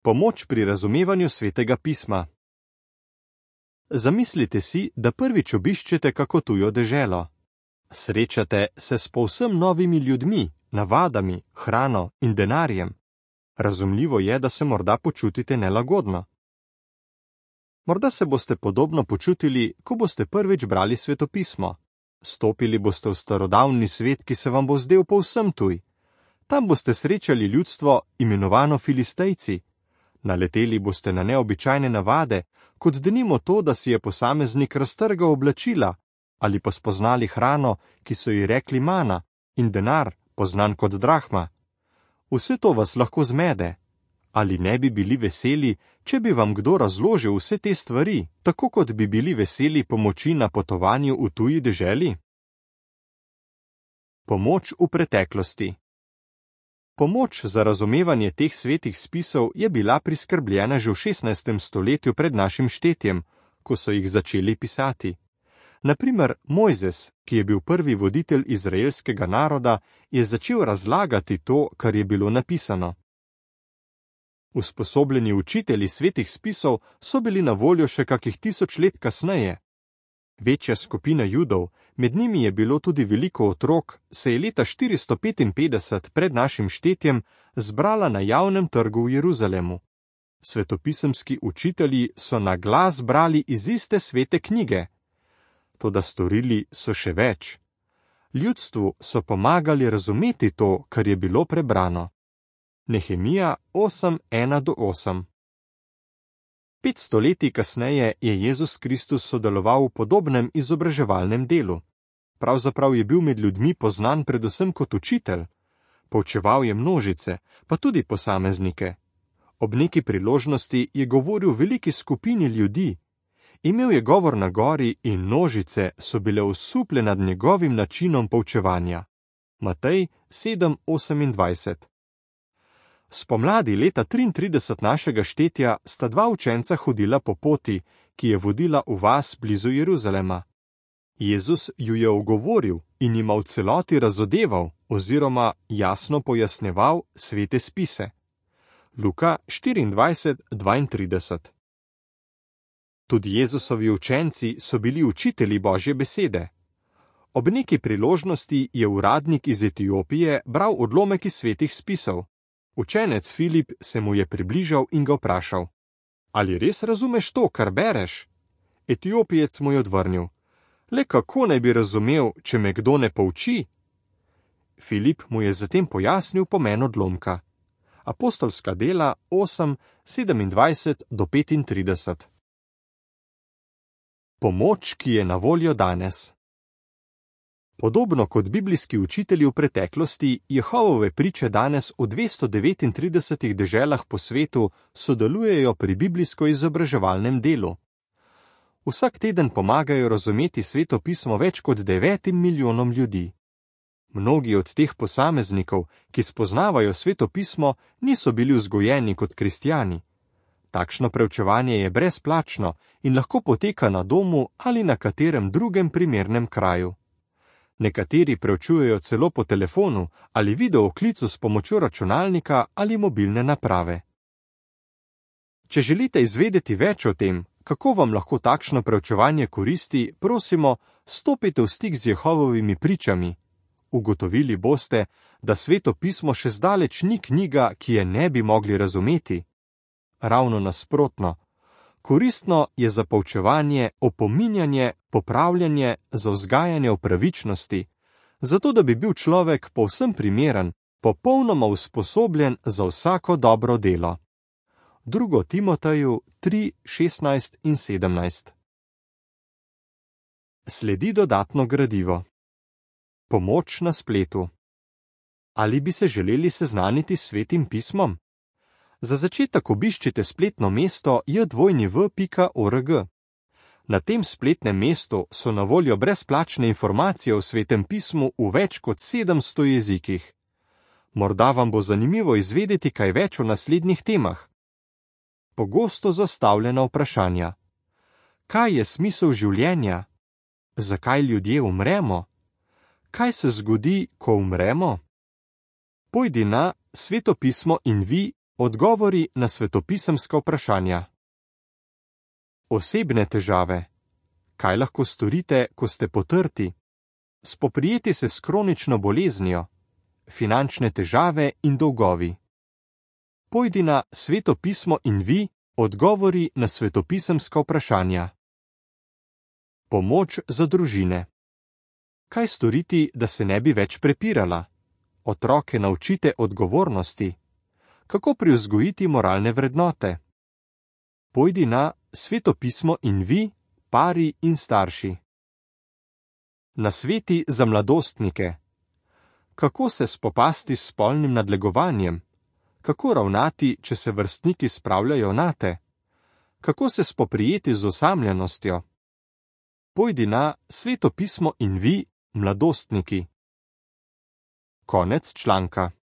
Pomoč pri razumevanju Svetega pisma. Zamislite si, da prvič obiščete kako tujo deželo. Srečate se s povsem novimi ljudmi, navadami, hrano in denarjem. Razumljivo je, da se morda počutite nelagodno. Morda se boste podobno počutili, ko boste prvič brali svetopismo. Stopili boste v starodavni svet, ki se vam bo zdel povsem tuj. Tam boste srečali ljudstvo, imenovano Filistejci. Naleteli boste na neobičajne navade, kot denimo to, da si je posameznik raztrgal oblačila, ali pa spoznali hrano, ki so ji rekli mana, in denar, poznan kot drahma. Vse to vas lahko zmede. Ali ne bi bili veseli, če bi vam kdo razložil vse te stvari, tako kot bi bili veseli pomoči na potovanju v tuji deželi? Pomoč v preteklosti. Pomoč za razumevanje teh svetih spisov je bila priskrbljena že v 16. stoletju pred našim štetjem, ko so jih začeli pisati. Naprimer, Mojzes, ki je bil prvi voditelj izraelskega naroda, je začel razlagati to, kar je bilo napisano. Usposobljeni učitelji svetih spisov so bili na voljo še kakih 1000 let kasneje. Večja skupina Judov, med njimi je bilo tudi veliko otrok, se je leta 455 pred našim štetjem zbrala na javnem trgu v Jeruzalemu. Svetopisemski učitelji so na glas brali iz iste svete knjige. Toda storili so še več. Ljudstvu so pomagali razumeti to, kar je bilo prebrano. Nehemija 8:1-8. 500 let kasneje je Jezus Kristus sodeloval v podobnem izobraževalnem delu. Pravzaprav je bil med ljudmi poznan predvsem kot učitelj. Poučeval je množice, pa tudi posameznike. Ob neki priložnosti je govoril veliki skupini ljudi. Imel je govor na gori in množice so bile osupljene nad njegovim načinom poučevanja. Matej 7:28. Spomladi leta 33 našega štetja sta dva učenca hodila po poti, ki je vodila v vas blizu Jeruzalema. Jezus ju je ogovoril in jima v celoti razodeval oziroma jasno pojasneval svete spise. Luka 24:32. Tudi Jezusovi učenci so bili učitelji Božje besede. Ob neki priložnosti je uradnik iz Etiopije bral odlomek iz svetih spisov. Učenec Filip se mu je približal in ga vprašal: Ali res razumeš to, kar bereš? Etiopijec mu je odvrnil: Le kako naj bi razumel, če me kdo ne pouči? Filip mu je zatem pojasnil pomen odlomka. Apostolska dela 8:27-35. Pomoč, ki je na voljo danes. Podobno kot biblijski učitelji v preteklosti, Jehovove priče danes v 239 deželah po svetu sodelujejo pri biblijsko-izobraževalnem delu. Vsak teden pomagajo razumeti Sveto pismo več kot 9 milijonom ljudi. Mnogi od teh posameznikov, ki spoznavajo Sveto pismo, niso bili vzgojeni kot kristjani. Takšno preučevanje je brezplačno in lahko poteka na domu ali na katerem drugem primernem kraju. Nekateri preučujejo celo po telefonu ali videoklicu s pomočjo računalnika ali mobilne naprave. Če želite izvedeti več o tem, kako vam lahko takšno preučevanje koristi, prosimo, stopite v stik z Jehovovimi pričami. Ugotovili boste, da Sveto pismo še zdaleč ni knjiga, ki je ne bi mogli razumeti. Ravno nasprotno. Koristno je za poučevanje, opominjanje, popravljanje, za vzgajanje v pravičnosti, zato da bi bil človek povsem primeren, popolnoma usposobljen za vsako dobro delo. 2. Timoteju 3:16 in 17. Sledi dodatno gradivo. Pomoč na spletu. Ali bi se želeli seznaniti s Svetim pismom? Za začetek obiščite spletno mesto jdvojni.org. Na tem spletnem mestu so na voljo brezplačne informacije o Svetem pismu v več kot 700 jezikih. Morda vam bo zanimivo izvedeti kaj več o naslednjih temah. Pogosto zastavljena vprašanja. Kaj je smisel življenja? Zakaj ljudje umremo? Kaj se zgodi, ko umremo? Pojdi na svetopismo in vi Odgovori na svetopisemska vprašanja. Osebne težave. Kaj lahko storite, ko ste potrti? Spoprijeti se s kronično boleznijo. Finančne težave in dolgovi. Pojdi na Sveto pismo in vi, odgovori na svetopisemska vprašanja. Pomoč za družine. Kaj storiti, da se ne bi več prepirala? Otroke naučite odgovornosti. Kako privzgojiti moralne vrednote? Pojdi na Sveto pismo in vi, pari in starši. Nasveti za mladostnike. Kako se spopasti s spolnim nadlegovanjem? Kako ravnati, če se vrstniki spravljajo nate? Kako se spoprijeti z osamljenostjo? Pojdi na Sveto pismo in vi, mladostniki. Konec članka.